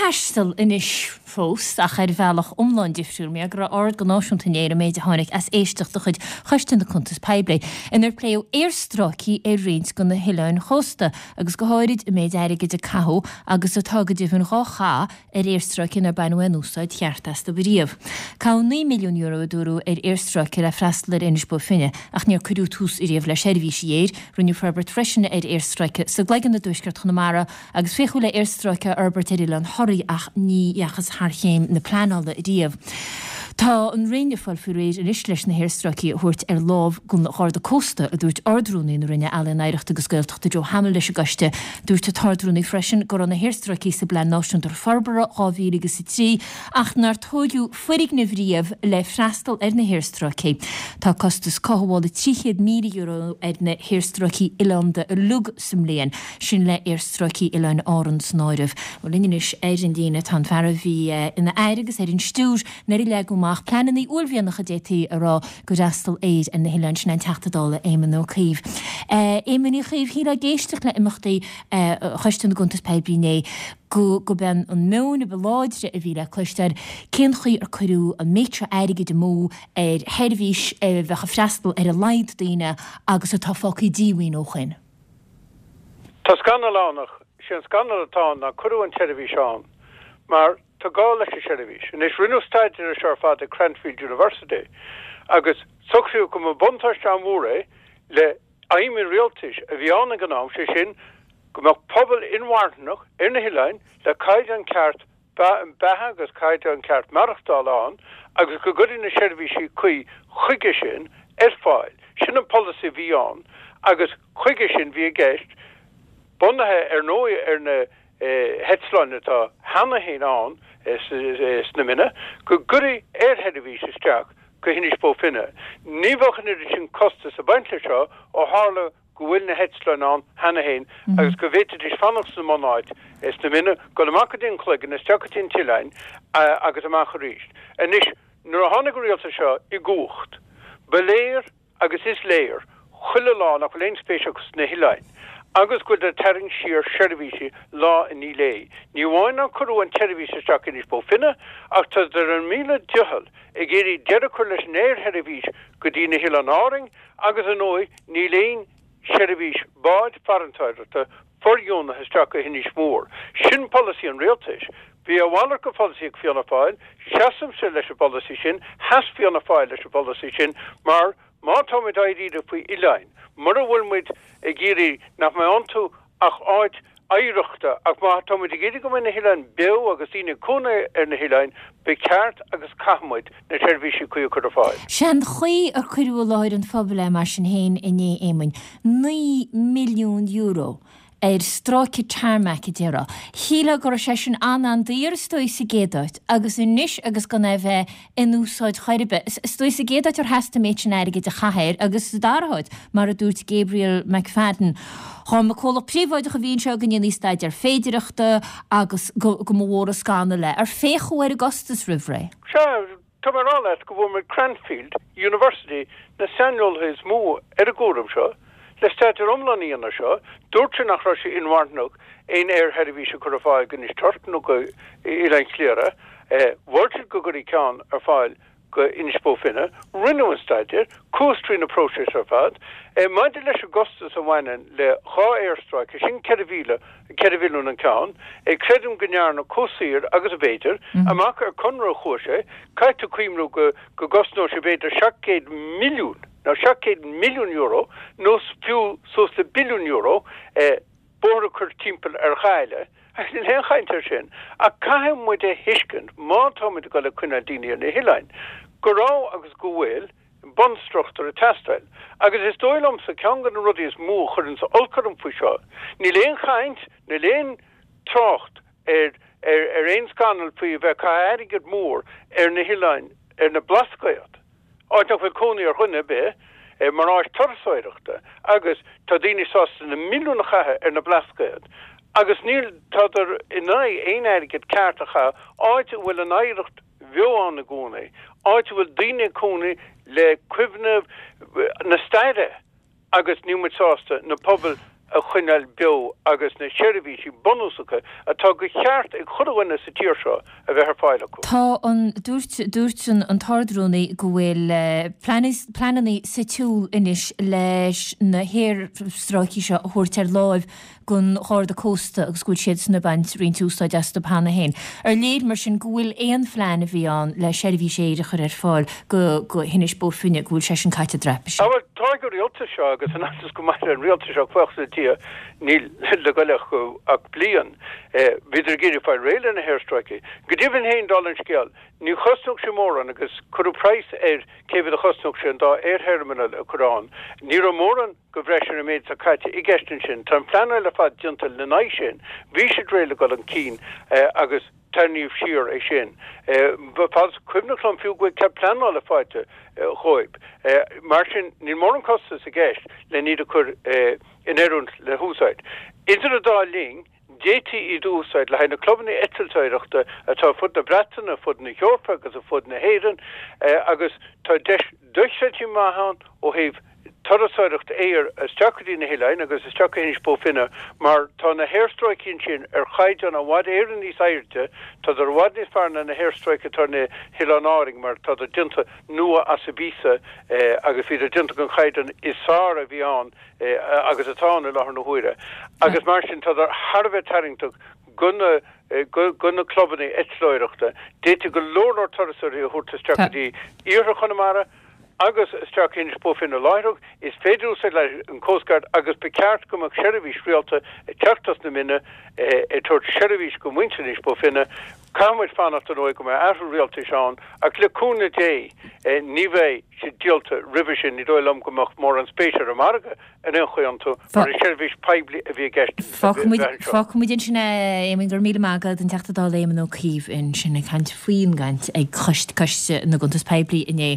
taisteal anois fós, ach ar bhealach iomlán difriúil, mar go raibh aird go náisiúnta inné ar an méid a tháinig as éisteacht de chuid Choiste na Cuntas Poiblí, inar pléadh aerstráicí ar roinnt de na hoileáin chósta, agus go háirid an méid airgid a caitheadh, agus atá go deimhin dhá chaitheamh, ar aerstráicí nár baineadh aon úsáid cheart astu riamh. Caitheadh €9 milliún, a dúradh, ar aerstráice le freastal ar Inis Bó Finne, ach níor cuireadh tús ariamh le seirbhísí aeir. Rinneadh forbairt freisin ar aerstráice sa gCloigeann i dtuaisceart Chonamara agus féachadh le aerstráice a fhorbairt ar Oileán Thoraí ach ní dheachthas thar chéim na pleanála riamh. Tá an Roinn ag fáil faoi réir anois leis na haerstráicí a thabhairt ar lámh don Gharda Cósta, a dúirt Ard-Rúnaí na Roinne Ealaíon, Oidhreachta agus Gaeltachta Joe Hamill leis an gcoiste. Dúirt an tArd-Rúnaí freisin go raibh na haerstráicí sa bPlean Náisiúnta Forbartha 2003 ach nár tóigeadh foirgnimh riamh le freastal ar na haerstráicí. Tá costas cothabhála €300,000 ar na haerstráicí oileánda uilig sa mbliain, sin le aerstráicí Oileáin Árann san áireamh. Bhuel linn anois ar an líne tá an fear a bhí ina aire agus ar an stiúir nuair a leagadh amach pleananna uaillmhianacha d'fhéadfaí a rá do fhreastal aeir ar na hoileáin, sin é an Teachta Dála Éamon Ó Cuív. Éamon Uí Chuív, shílfeá ag éisteacht le imeachtaí Choiste na gCuntas Poiblí inné go go b'é an meon a ba láidre a bhí le cloisteáil cén chaoi ar cuireadh an méid seo airgid amú ar sheirbhís a bheadh ag freastal ar a laghad daoine agus atá fágtha díomhaoin ó shoin. Tá scannal ann ach sé an scannal atá ann ná cuireadh an tseirbhís ann mar tá gá leis an seirbhís. Anois rinneadh staidéar ar seo ar fad ag Cranfield University agus socraíodh go mba buntáiste an-mhór é le aidhm an rialtais a bhí ann ag an am, sé sin go mbeadh pobal inmharthanach ar na hoileáin le caighdeán ceart beatha agus caighdeán ceart maireachtála ann agus go gcuirfí na seirbhísí cuí chuige sin ar fáil. Sin an polasaí a bhí ann agus chuige sin bhí i gceist, bunaithe ar ndóigh ar na heitleáin atá cheana féin ann sna Minna, go gcuirfí aersheirbhís isteach go hInis Bó Finne. Ní bheadh an oiread sin costas ag baint leis seo ó tharla go bhfuil na heitleáin ann cheana féin agus go bhféadfaidís fanacht sa mbunáit sna Minna, dul amach go dtí an Cloigeann, isteach go dtí an t-oileán agus amach arís. Anois, nuair a tháinig an rialtas seo i gcumhacht, ba léir agus is léir chuile lá nach bhfuil aon spéis acu sna hoileáin agus go bhfuil ag tarraingt siar seirbhísí lá i ndiaidh lae. Ní amháin nár cuireadh an tseirbhís isteach Inis Bó Finne ach tádar ar a míle dicheall ag iarraidh deireadh a chur leis an aersheirbhís go dtí na hOileáin Árainn agus ar ndóigh níl aon seirbhís báid farantóireachta fordheonaithe isteach go hInis Mór. Sin polasaí an rialtais. Bhí a mhalairt de pholasaí ag Fianna Fáil, seasaimse leis an bpolasaí sin, sheas Fianna Fáil leis an bpolasaí sin mar má táimid dáiríre faoi oileáin, mura bhfuil muid ag iarraidh nach mbeidh iontu ach áit oidhreachta, ach má tá muid ag iarraidh go mbeidh na hoileáin beo agus daoine ag cónaí ar na hoileáin, ba cheart agus caithfidh muid na seirbhísí cuí a chur ar fáil. Sé an chaoi ar cuireadh i láthair an phobail é mar sin féin inné, Éamoinn, €9 milliún ar stráice tarmac, a déarfá. Shílfeá go raibh sé sin an-an-daor, is dóigh, sa gcéad áit, agus anois agus gan é bheith in úsáid chor ar bith. Is dóigh sa gcéad áit ar theastaigh an méid sin airgid a chaitheamh air agus sa dara háit, mar a dúirt Gabriel McFadden, dhá mba comhlacht príobháideach a bhí anseo go ndéanfaí staidéar féidireachta agus go go mba mhór an scannal é. Ar féachadh ar an gcostas roimh ré? Sea, tá mé ag rá leat go bhfuair muid Cranfield University, na saineolaithe is mó ar an gcúram seo, le staidéar iomlán a dhéanamh air seo. Dúirt sé nach raibh sé inmharthanach aon aersheirbhís a chur ar fáil go Inis Toirc nó go Oileán Chliara. Mhol siad go gcuirfí ceann ar fáil go Inis Bó Finne. Rinneadh an staidéar, chuathas trí na próisis ar fad. Maidir leis an gcostas a bhaineann le dhá aerstráice, sin 4,000, 4 mhilliún an ceann, creidim go ndearnadh chomh saor agus ab fhéidir. Amach ar conradh a chuaigh sé. Caithfidh tú cuimhniú go gcosnódh sé b'fhéidir 700 milliún, nó €700 milliún nó fiú suas le billiún euro, bóthar a chur timpeall ar Ghaillimh, agus níl aon chaint air sin. Ach caithfidh muid a thuiscint, má táimid ag dul ag coinneáil daoine ar na hoileáin, go raibh agus go bhfuil bunstruchtúr ag teastáil. Agus is dóigh liomsa, ceann de na rudaí is mó a chuireanns olc orm faoi seo, níl aon chaint, níl aon trácht ar ar aon scannal faoi a bheith ag caitheamh airgead mór ar na hoileáin, ar na Blascaod. áit nach bhfuil cónaí ar dhuine ar bith, mar áit turasóireachta agus tá daoine sásta na milliúin a chaitheamh ar na Blascaod agus níl, tádar in aghaidh aon airgead ceart a chaitheamh áit a bhfuil an oidhreacht bheo ann i gcónaí, áit a bhfuil daoine ag cónaí le cuimhne na staire. agus níl muid sásta na pobail. a choinneáil beo agus na seirbhísí bunúsacha atá de cheart ag chuile dhuine sa tír seo a bheith ar fáil acu. Tá an, dúirt, dúirt an tArd-Rúnaí go bhfuil pleananna sa tsiúl anois leis na haerstráicí seo a thabhairt ar láimh don Gharda Cósta agus go bhfuil siadsan ag baint roinnt úsáid astu cheana féin. Ar léir mar sin go bhfuil aon phlean a bhí ann le seirbhís aeir a chur ar fáil go go hInis Bó Finne, go bhfuil sé sin caite i dtraipisí? Á bhuel, tá ag an rialtas seo agus in fhaitíos go mairfidh an rialtas seo, buíochas le Dia, níl le goil acu ach bliain. Bhíodar ag iarraidh fáil réidh le na haerstráicí. Go deimhin féin, dála an scéil, ní chosnódh sé mórán agus cuireadh praghas ar cé mhéad a chosnódh sé an dá aertheirminéal a chur ann. Ní raibh mórán de bhreis ar an méid atá caite i gceist ansin. Tá an phleanáil ar fad déanta lena n-aghaidh sin. Bhí siad réidh le dul chun cinn agus tarraingíodh siar é sin. Fad is cuimhneach liom fiú go bhfuil cead pleanála faighte dhóibh. Mar sin, níl mórán costas i gceist len iad a chur in oiriúint le húsáid. Idir an dá linn, D'fhéadfaí iad a úsáid le haghaidh na clubanna eitleoireachta atá ar fud na Breataine, ar fud na hEorpa agus ar fud na hÉireann agus tá deis dochreidte maith ann ó thaobh turasóireacht aeir isteach go dtí na hoileáin agus isteach go hInis Bó Finne mar tá na haerstráicí ansin ar chaighdeán i bhfad Éireann níos airde, tádar i bhfad níos fearr ná na haerstráicí atá ar na hOileáin Árainn mar tádar déanta nua as an bpíosa agus bhíodar déanta den chaighdeán is fearr a bhí ann agus atá ann i láthair na huaire agus mar sin tádar thar a bheith tarraingteach go na go na clubanna eitleoireachta. D'fhéadfaí go leor leor turasóirí a thabhairt isteach go dtí iarthar Chonamara agus isteach Inis Bó Finne láithreach. Is féidir úsáid le an Coast Guard agus ba cheart go mbeadh seirbhís rialta ag teacht as na Minna ag tabhairt seirbhís go muintir Inis Bó Finne. Caithfidh muid fanacht ar ndóigh go mbeidh athrú rialtais ann ach le cúnamh Dé ní bheidh siad díolta roimhe sin. Ní dóigh liom go mbeadh mórán spéise ar an margadh ar aon chaoi iontu mar is seirbhís poiblí a bhí i gceist a bheith anseo. Fágfaidh muid ansin é, a Éamoinn. Go raibh míle maith agat, an Teachta Dála Éamon Ó Cuív ansin ag caint faoin gcaint ag Coiste na gCuntas Poiblí inné.